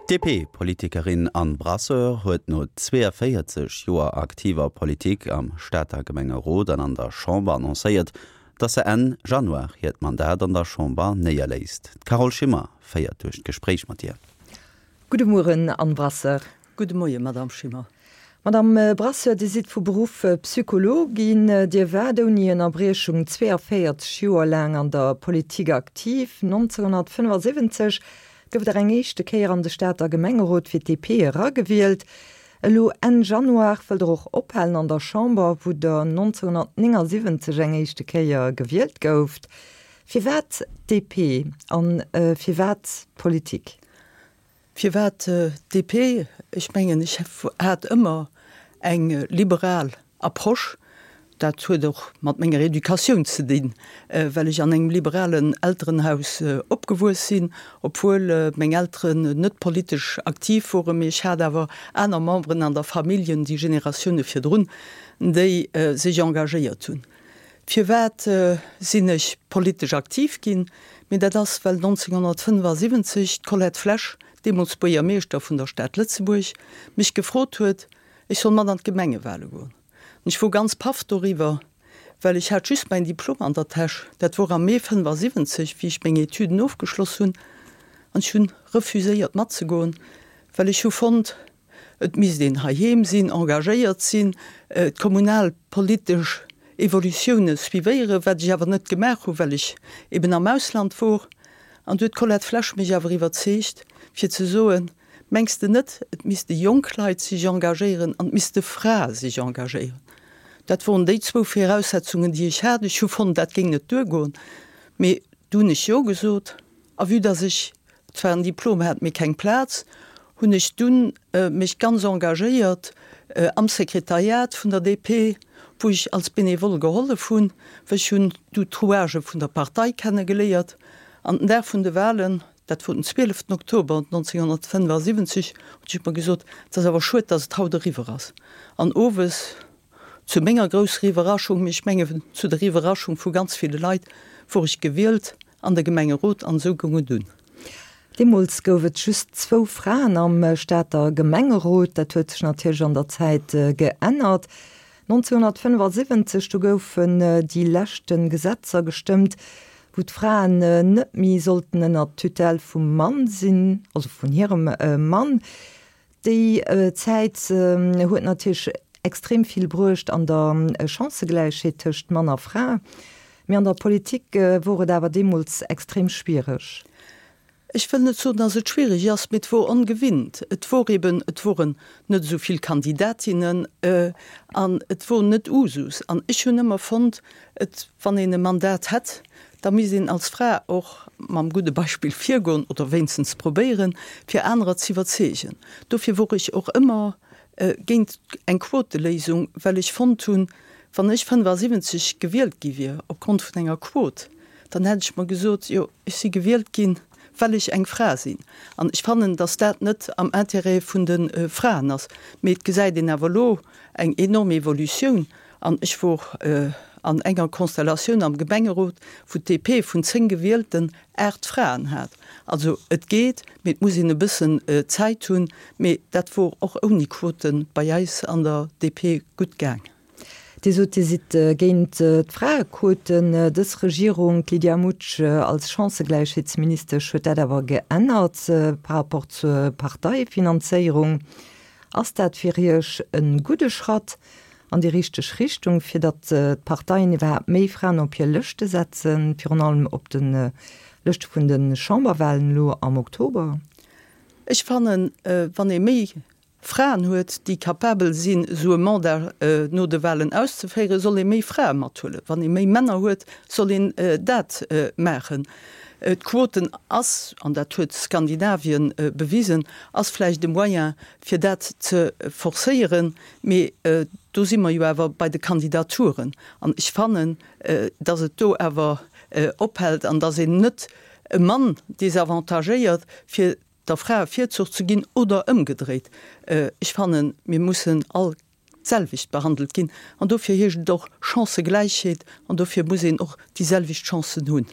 D'DP-Politikerin Anne Brasseur huet no 42 Joer aktiver Politik am Stater Gemengerot an an der Chamber annoncéiert, datt se Enn Januar hiert Mandat an der Chamber néierléisst. D'Carole Schimmer féiert duerch d'Gespréich mat hir. Gudde Mueren, Anne Brasseur. Gudde Moie, Madamm Schimmer. Madamm Brasseur, Dir sidd vu Beruff Psychologin. Dir waart ouni Ënnerbriechung 42 Joer laang an der Politik aktiv. 1975 gouft Der eng éischte Kéier an de Stater Gemengerot fir d'DP eragewielt. Elo Enn Januar wëllt Der och ophalen an der Chamber, wou Der 1979 eng éischte Kéier gewielt gouft. Firwat d'DP an firwat d'Politik? Firwat DP? Ech mengen, ech hat ëmmer eng liberal Approche. Dat huet och mat menger Educatioun ze dinn, well ech an engem liberalen Elterenhaus opgewuess sinn, obwuel meng Elteren net politesch aktiv woren, mee ech hat awer aner Memberen an der Familljen, déi Generatioune virdrun, déi sech engagéiert hunn. Firwat sinn ech politesch aktiv ginn? Mee dat ass, well 1975 d'Colette Flesch, deemools Buergermeeschter vun der Stad Lëtzebuerg, mech gefrot huet, ech soll mat an d'Gemengewale goen. An ech wor ganz paff doriwwer, well ech hat just mäin Diplom an der Täsch, dat wor am Mee 75, wéi ech meng Etüden ofgeschloss hunn, an ech hunn refuséiert matzegoen, well ech hu fonnt, Et misst een heiheem sinn, engagéiert sinn, d'kommunalpolitesch Evolutioune suivéieren, wat ech awer net gemaach hu well ech eben am Ausland wor. An du huet d'Colette Flesch mech awer iwwerzeegt fir ze soen, Mengs de net, et misste jonk Leit sech engagéieren an et misste Frae sech engagéieren? Dat woren déi zwou Viraussetzungen, déi ech hat. Ech hu fonnt, dat géing net duergoen, mee du hunn ech Jo gesot. A vue dass ech zwar en Diplom hat, mee keng Plaz, hunn ech dunn mech ganz engagéiert am Sekretariat vun der DP, wou ech als Benevole gehollef hunn, well ech hunn du d'Rouagë vun der Partei kenne geléiert. An den Dag vun de Wahlen, dat wor den 12 Oktober 1975, hunn ech mer gesot, et ass awer schued, dass et haut eriwwer ass. An owes Zu menger grousser Iwwerraschung, mee ech menge zu der Iwwerraschung vu ganz ville Leit, wor ech gewielt an de Gemengerot an esou goung et un. Deemools gouf et just zwou Fraen am Stater Gemengerot. Dat huet sech natierlech an der Zäit geännert. 1975, du goufen déi leschte Gesetzer gestëmmt, wou d'Fraen net méi sollten ënner d'Tutelle vum Mann sinn, also vun hirem Mann. Déi Zäit huet natierlech extrem vill bruecht an der Chancëgläichheet tëscht Mann a Fra, mee an der Politik wor et awer deemools extrem schwiereg. Ech wëll net soen, datt et schwiereg ass, mee et wor ongewinnt. Et wor eben, et woren net esou vill Kandidatinnen an et wor net Usus. An ech hunn ëmmer fonnt, et, wann een e Mandat hätt, da misst een als Fra och mam gudde Beispill virgoen oder wéinstens probéieren, fir anerer z'iwwerzeegen. Dofir wor ech och ëmmer géint eng Quoteléisung, well ech fonnt hunn, wann ech 75 gewielt gi wier opgrond vun enger Quot, dann hätt ech mer gesot, jo, ech si gewielt ginn, well ech eng Fra sinn. An ech fannen, datt dat net am Intérêt vun de Fraen ass. Mee et gesäit een awer elo eng enorm Evolutioun. An ech wor an enger Konstellatioun am Gemengerot, wou d'DP vun 10 Gewielten 8 Fraen hat. Also et geet, mee et muss een e bëssen Zäit hunn. Mee dat wor och ouni Quote bei eis an der DP gutt gaang. Dir sot, Dir sidd géint d'Fraequoten. Dës Regierung, d'Lydia Mutsch als Chancëgläichheetsministesch, huet dat awer geännert par rapport zur Parteifinanzéierung. Ass dat fir Iech e gudde Schratt an déi richteg Richtung, fir datt d'Parteien iwwerhaapt méi Fraen op hir Lëschte setzen, virun allem op de Lëschte vun de Chamberwahlen elo am Oktober? Ech fannen, wann ee méi Fraen huet, déi capabel sinn, esou e Mandat no de Wahlen auszeféieren, soll ee méi Frae mathuelen. Wann ee méi Männer huet, soll een dat maachen. D'Quoten ass, an dat huet Skandinavien bewisen, ass vläicht e Moyen, fir dat ze forcéieren. Mee do si mer jo awer bei de Kandidaturen. An ech fannen, datt et do awer ophält an datt een net e Mann desavantagéiert, fir der Fra e Virzuch ze ginn oder ëmgedréit. Ech fannen, mir mussen all d'selwecht behandelt ginn an dofir heescht et och Chancëgläichheet an dofir muss een och déi selwecht Chancen hunn.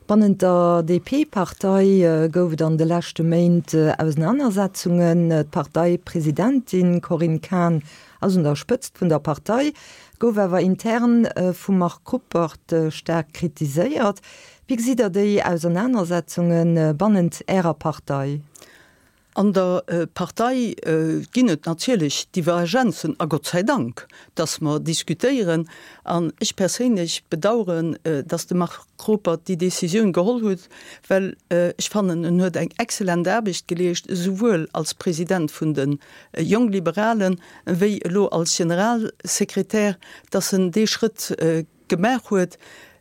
Bannent der DP-Partei gouf et an de leschte Méint Ausenanersetzungen. D'Parteipresidentin Corinne Cahen ass un der Spëtzt vun der Partei, gouf awer intern vum Marc Ruppert staark kritiséiert. Wéi gesitt Der déi Ausernanersetzunge bannent Ärer Partei? An der Partei ginn et natierlech Divergenzen, a Gott sei Dank, datt mer diskutéieren. An ech perséinlech bedauern, datt de Marc Ruppert déi Décisioun geholl huet, well ech fannen, en huet eng excellent Aarbecht geleescht, esouwuel als President vun de Jongliberalen wéi elo als Generalsekretär, datt en dee Schrëtt gemaach huet.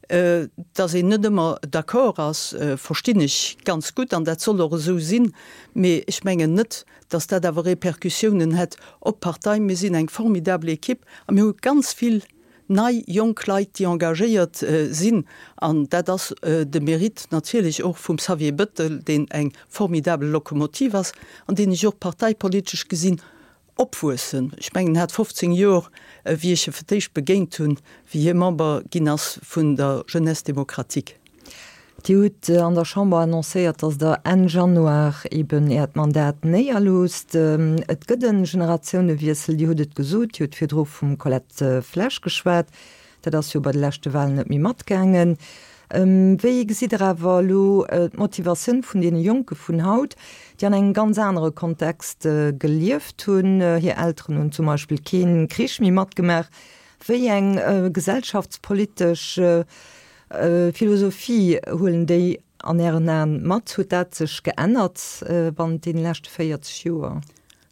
Datt een net ëmmer d'accord ass, verstinn ech ganz gutt an dat soll och esou sinn. Mee ech mengen net, datt dat awer Répercussiounen hätt op d'Partei. Mir sinn eng formidabel Equipe a mir hu ganz vill nei jonk Leit, déi engagéiert sinn. An dat ass de Mérite natierlech och vum Xavier Bettel, deen eng formidabel Lokomotiv ass an deen ech och parteipolitesch gesinn Opwuessen. Ech mengen, en hat 15 Jor, wéi ech e fir d'éischt begéint hunn, wéi hie Member ginn ass vun der Jeunesse démocratique. Dir hutt an der Chamber annoncéiert, datt Der Enn Januar eben Äert Mandat néierloosst. Et gëtt e Generatiounewiessel, Dir hutt et gesot, Dir hutt virdru vum Colette Flesch geschwat. Dat ass jo bei de leschte Wahlen net méi matgaangen. Wéi gesitt Der awer elo d'Motivatioun vun deene Jonke vun haut, déi an engem ganz anere Kontext gelieft hunn? Hir Elteren hunn zum Beispill kee Krich méi matgemaach. Wéi eng gesellschaftspolitesch Philosophie huelen déi an Ären Aen mat? Huet dat sech geännert bannent deene leschte 40 Joer?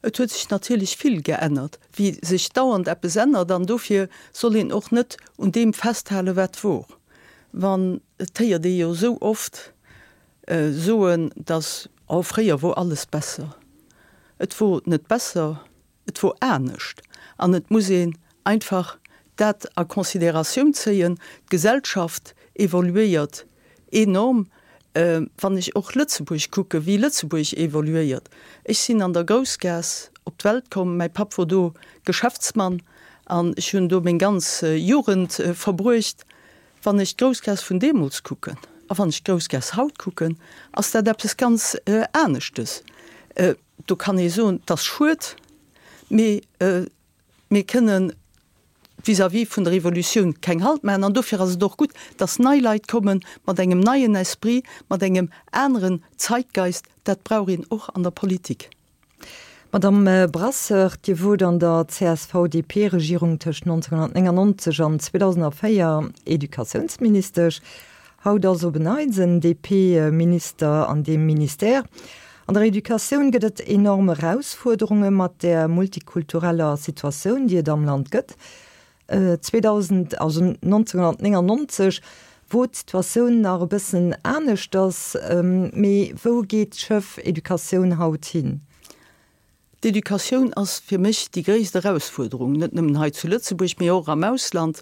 Et huet sech natierlech vill geännert, wéi sech dauernd eppes ännert, an dofir soll een och net un deem festhalen, wat wor. Wann, et héiert ee jo esou oft soen, datt, oh fréier wor alles besser. Et wor net besser, et wor anescht. An et muss een einfach dat a Considératioun zéien, d'Gesellschaft evoluéiert enorm, wann ech och Lëtzebuerg kucken, wéi Lëtzebuerg evoluéiert. Ech sinn an der Groussgaass op d'Welt komm, mäi Papp wor do Geschäftsmann an ech hunn do meng ganz Jugend verbruecht. Wann ech d'Groussgaass vun deemools kucken a wann ech d'Groussgaass haut kucken, ass dat eppes ganz aneschtes. Do kann ee soen, 't ass schued, mee Mir kënnen vis-à-vis vun der Evolutioun keng Halt maachen an dofir ass et och gutt, dass nei Leit komme mat engem neien Esprit, mat engem aneren Zeitgeist. Dat brauch een och an der Politik. Madamm Brasseur, Dir wot an der CSV-DP-Regierung tëscht 1999 an 2004 Educatiounsministesch. Haut ass op en Neits en DP-Minister an deem Ministère. An der Educatioun gëtt et enorm Erausfuerderunge mat där multikultureller Situatioun, déi et am Land gëtt. 2000, also 1999, wor d'Situatioun nach e bëssen aneschters. Mee wou geet d'Schëff Educatioun haut hin? D'Educatioun ass fir mech déi gréisst Erausfuerderung, net nëmmen hei zu Lëtzebuerg, mee och am Ausland.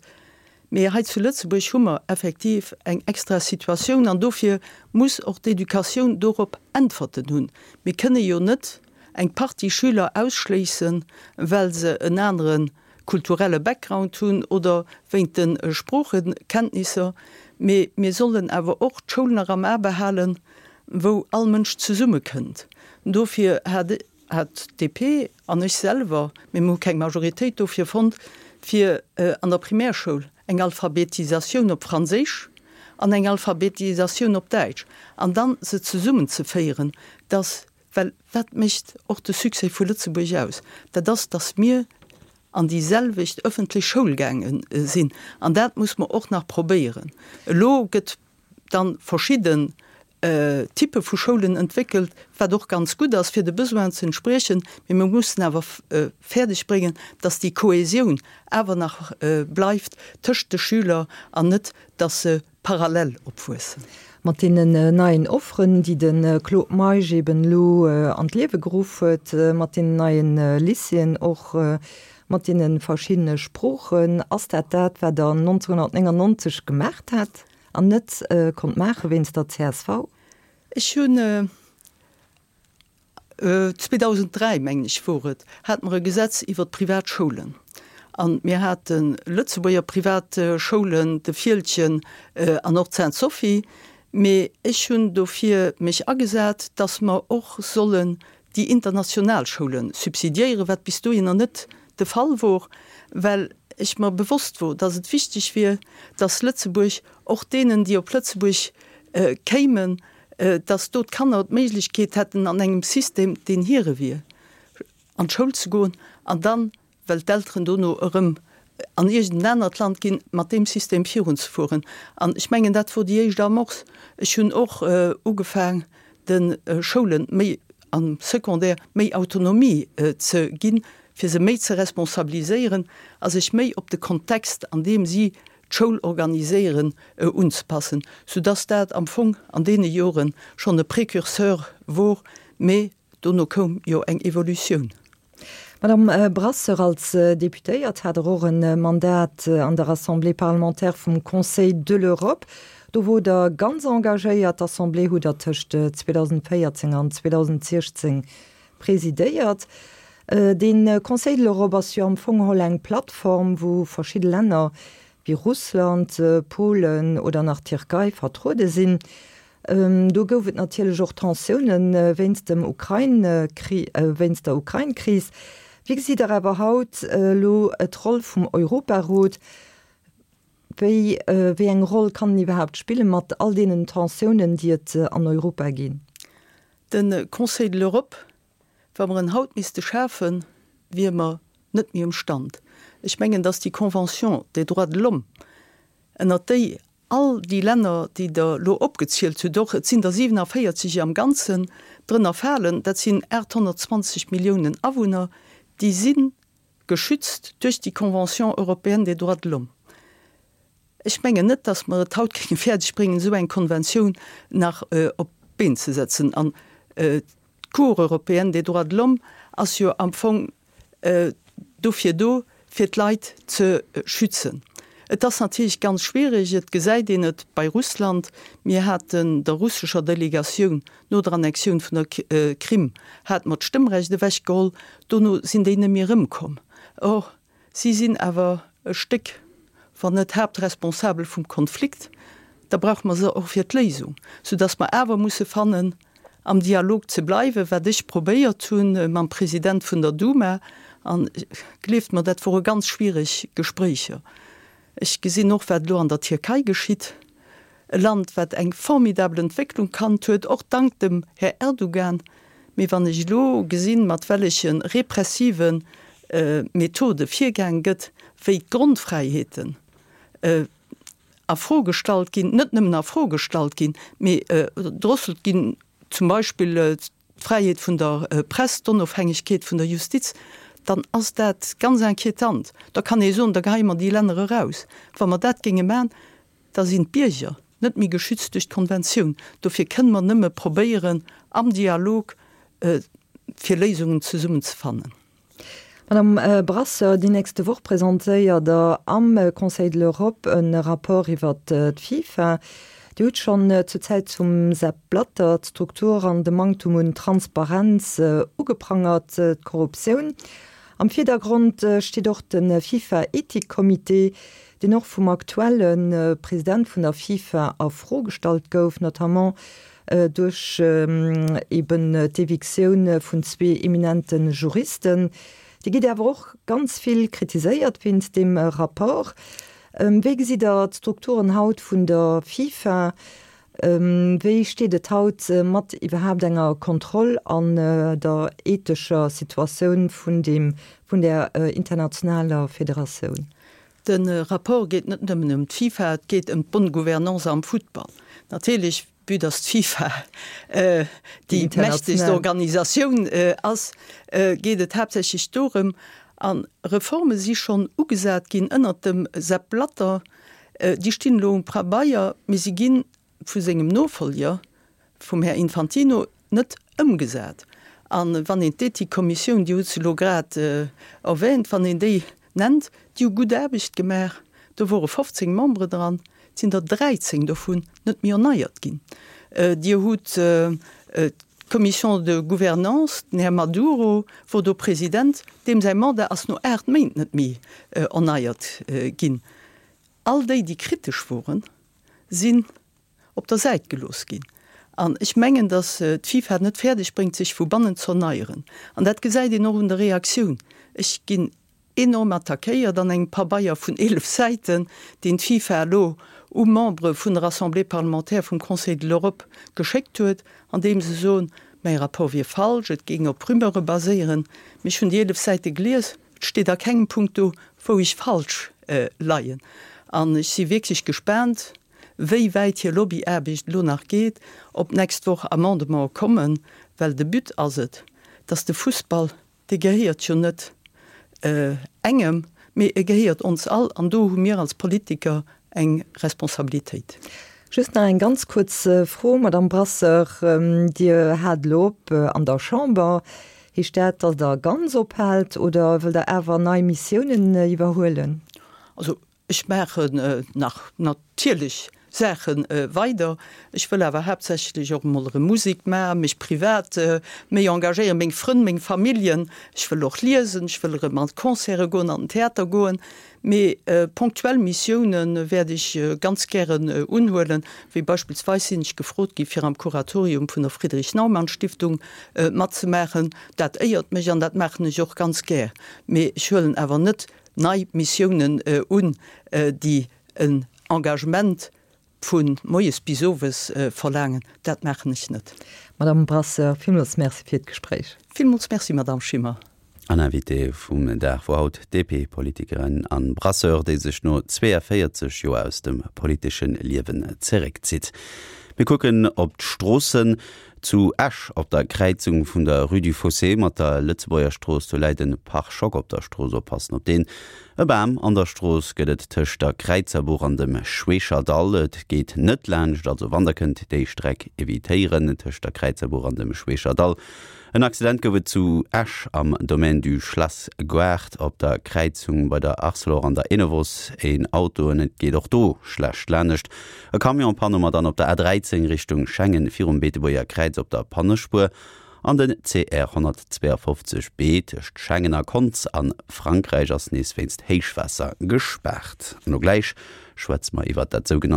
Mee hei zu Lëtzebuerg hu mer effektiv eng extra Situatioun an dofir muss och d'Educatioun dorop Äntwerten hunn. Mir kënne jo net eng Partie Schüler ausschléissen, well se en anere kulturelle Background hunn oder wéint de Sproochekenntnisser, mee mir sollen awer och d'Schoul nach am A behalen, wou all Mënsch zesummekënnt. Dofir hat hat d'DP an ech selwer, mee mir hu keng Majoritéit dofir fonnt, fir an der Primärschoul eng Alphabetisatioun op Franséisch an eng Alphabetisatioun op Däitsch an dann se zesummenzeféieren, dass Well wat mécht och de Succès vu Lëtzebuerg aus? Dat ass, datt mir an déi selwecht ëffentlech Schoul gaange sinn. An dat muss mer och nach probéieren. Elo gëtt dann verschidden Typpe vu Schoulen entwéckelt, wat och ganz gutt ass, fir de Besoinen ze entspriechen. Mee mir mussen awer fäerdeg bréngen, datt déi Kohäsioun awer nach bleift tëscht de Schüler an net, datt se parallel opwuessen. Mat deenen neien Offeren, déi de Claude Meisch eben elo an d'Liewe geruff huet, mat deenen neien Lycéeën, och mat deene verschiddene Sproochen, ass dat dat, wat Der 1999 gemaacht hat an net konnt maache wéinst der csv? Ech hunn 2003, mengen ech wor et, hate mer e Gesetz iwwert d'privat Schoulen. A mir hate Lëtzebuerger privat Schoulen, de Fieldgen an och d'Sainte-Sophie. Mee ech hunn dofir mech agesat, dass mer och sollen déi international Schoule subsidiéieren, wat bis dohinner net de Fall wor, well ech mer bewosst wor, dass et wichteg wier, dass Lëtzebuerg och deenen, déi op Lëtzebuerg kéimen, dass do d'Kanner d'Méiglechkeet hätten, an engem System, deen hire wier, an d'Schoul ze goen an dann well d'Elteren dono erëm an iergend en anert Land ginn, mat deem System virunzefueren. An ech mengen, dat wor déi éischt Amorce. Ech hunn och ugefaang, de Schoule méi am Secondaire méi Autonomie ze ginn, fir se méi ze responsabiliséieren a sech méi op de Kontext, an deem si d'Schoul organiséieren, unzepassen, soudass dat am Fong an deene Jore schonn e Précurseur wor. Mee Dono koum jo eng Evolutioun. Madame Brasseur, als Deputéiert hat Der och e Mandat an der Assemblée parlementaire vum Conseil de l'Europe. Do wor Der ganz engagéiert. D'Assemblée hutt Der tëscht 2014 an 2016 presidéiert. De Conseil de l'Europe ass jo am Fong geholl eng Plattform, wou verschidde Länner wéi Russland, Polen oder nach d'Tierkei vertruede sinn. Do gouf et natierlech och Tensioune wéinst dem Ukrain-Kri, wéinst der Ukrain-Kris. Wéi gesitt Der awer haut elo d'Roll vum Europarot? Wéi, wéi eng Roll kann en iwwerhaapt spille mat all deenen Tensiounen, déi et an Europa ginn? De Conseil de l'Europe, wa mer en haut misste schafen, wier mer net méi um Stand. Ech mengen, datt déi Convention des droits de l'homme, ënnert déi All déi Länner, déi Der elo opgezielt hutt, och et sinn der 47 am Ganzen, drënner falen, dat sinn 820 Milliounen Awunner, déi si geschützt duerch déi Convention européenne des droits de l'homme. Ech mengen net, datt mer et haut géinge fäerdeg bréngen, esou eng Konventioun nach op d'Been ze setzen. An d'Cour européenne des droits de l'homme ass jo am Fong dofir do, fir d'Leit ze schützen. Et ass natierlech ganz schwierig, et gesäit een et bei Russland, mir haten der russescher Delegatioun no der Annexioun vun der Krim hate mer d'Stëmmrecht ewechgeholl, dono sinn déi net méi erëmkomm. Or, si sinn awer e Stéck, wann net Haaptresponsabel vum Konflikt, da brauche mer se och fir d'Léisung, soudass mer awer musse fannen, am Dialog ze bleiwen, wat ech probéiert hu mam President vun der Duma. A gleeft mer, dat wore ganz schwiereg Gespréicher. Ech gesinn och, wat elo an der Tierkei geschitt, e Land, wat eng formidabel Entwécklung kannt huet, och dank dem Här Erdogan. Mee wann ech elo gesinn, mat welleche repressive Methode virgaang gëtt, wéi d'Grondfräiheeten a Fro gestallt ginn, net nëmmen a Fro gestallt ginn, mee gedrosselt ginn, zum Beispill d'Fräiheet vun der Press, d'Onofhängegkeet vun der Justiz, dann ass dat ganz inquietant. Da kann ee soen, da geheie mer déi Länner eraus. Wa mer dat géinge maachen, da sinn d'Bierger net méi geschützt duerch d'Konventioun. Dofir kënne mer nëmme probéieren, am Dialog fir Léisungen zesummen ze fannen. Madame Brasseur, déi nächste Woch presentéiert Der am Conseil de l'Europe e Rapport iwwer d'FIFA. Dir hutt schonn zur Zäit vum Sepp Blatter d'Struktur an de Manktum un Transparenz ugeprangert, d'Korruptioun. Am Virdergrond steet och de FIFA-Ethikcomité, deen och vum aktuelle President vun der FIFA a Fro gestallt gouf, notamment duerch eben d'Evictioun vun zwee eminente Juristen. Dir gitt awer och ganz vill kritiséiert wéinst deem Rapport. Wéi gesitt Der d'Strukturen haut vun der FIFA? Wéi steet et haut mat iwwerhaapt enger Kontroll an der ethescher Situatioun vun deem, vun där internationaler Federatioun? De Rapport geet net nëmmen ëm d'FIFA, et geet ëm d'bonne gouvernance am Futtball. Natierlech, vue dass d'FIFA déi mächtegst Organisatioun ass, geet et haaptsächlech dorëm. A Reforme si schonn ugesat ginn ënnert dem Sepp Blatter. Déi stinn elo um Pabeier, mee si gi vu sengem Nofollger, vum Här Infantino, net ëmgesat. A wann een d'Ethikkommissioun, Dir hutt se elo grad erwähnt, wann een déi nennt, déi hu gutt Aarbecht gemaach, do wore 15 Membere dran, et sinn der 13 dovun net méi erneiert ginn. Dir hutt d'Commission de gouvernance, den Här Maduro wor do President, deem säi Mandat ass no 8 Méint net méi erneiert ginn. All déi, déi kritesch woren, sinn. op der Säit gelooss ginn. An ech mengen, datt d'FIFA et net fäerdeg bréngt, sech vu bannen z'erneieren. An dat gesäit een och un der Reaktioun. Ech ginn enorm attackéiert an engem Pabeier vun 11 Säiten, deen d'FIFA elo u Membere vun der Assemblée parlementaire vum Conseil de l'Europe geschéckt huet, an deem se soen, mäi Rapport wier falsch, et géing op Rumeure baséieren. Mee ech hunn déi 11 Säite gelies, et steet a kengem Punkt do, wou ech falsch leien. An ech si wierklech gespaant, wéi wäit hir Lobbyaarbecht elo nach geet, ob d'nächst Woch Amendementen kommen, well de But ass et, dass de Fussball Dee gehéiert jo net engem, mee e gehéiert ons all, an do hu mir als Politiker eng Responsabilitéit. Just nach eng ganz kuerz Fro, Madamm Brasseur, Dir haalt elo op an der Chamber. Heescht dat, datt Der ganz ophaalt oder wëllt Der awer nei Missiounen iwwerhuelen? Also Ech maachen nach natierlech Saache weider. Ech wëll awer haaptsächlech och emol erëm Musek maachen, mech privat méi engagéieren, meng Frënn, meng Familljen. Ech wëll och liesen, ech wëll erëm an d'Concerte goen, an den Theater goen. Mee ponktuell Missioune wäert ech ganz gären unhuelen, wéi beispillsweis sinn ech gefrot gi fir am Kuratorium vun der Friedrich-Naumann-Stiftung matzemaachen. Dat éiert mech an dat maachen ech och ganz gär. Mee ech huelen awer net nei Missiounen un, déi en Engagement vu moies bis owes verlaangen, dat maachen ech net. Madame Brasseur, villmools Merci fir d'Gespréich. Villmools Merci, Madame Schimmer. An Invitée vum Dag wor haut d'DP-Politikerin Anne Brasseur, déi sech no 42 Joer aus dem politesche Liewen zeréckzitt. Mir kucken op d'Stroossen. Zu Esch op der Kräizung vun der Rue du Fossé mat der Lëtzebuerger Strooss, do läit en Pare-choc op der Strooss. Oppassen op deen. E Bam an der Strooss gëtt et tëscht der Kräizerbuch an dem Schweecherdall. Et geet net laanscht, also wann der kënnt déi Streck evitéieren tëscht der Kräizerbuch an dem Schweecherdall. En Accident gouf et zu Esch am Domaine du Schlass Gaart op der Kräizung bei der Arcelor an der Enovos. Een Auto en et geet och do schlecht lanescht. E Camion Panne hu mer dann op der A13 Richtung Schengen virum Beetebuerger Kräiz op der Pannespuer an den CR 152 B tëscht Schengen a Konz a Frankräich ass nees wéinst Héichwaasser gespaart. An elo gläich schwätze mer iwwert dat sougenanntent.